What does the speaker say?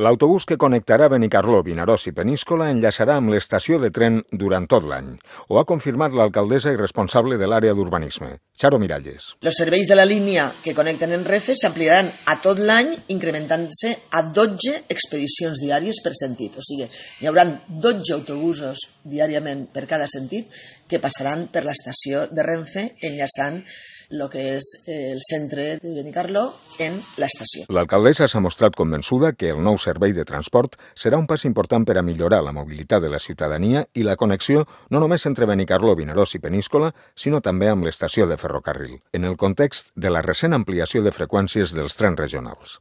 L'autobús que connectarà Benicarló, Vinaròs i Peníscola enllaçarà amb l'estació de tren durant tot l'any. Ho ha confirmat l'alcaldessa i responsable de l'àrea d'urbanisme, Charo Miralles. Els serveis de la línia que connecten en Renfe s'ampliaran a tot l'any, incrementant-se a 12 expedicions diàries per sentit. O sigui, hi haurà 12 autobusos diàriament per cada sentit que passaran per l'estació de Renfe enllaçant el que és el centre de Benicarló en l'estació. L'alcaldessa s'ha mostrat convençuda que el nou servei de transport serà un pas important per a millorar la mobilitat de la ciutadania i la connexió no només entre Benicarló, Vinaròs i Peníscola, sinó també amb l'estació de ferrocarril, en el context de la recent ampliació de freqüències dels trens regionals.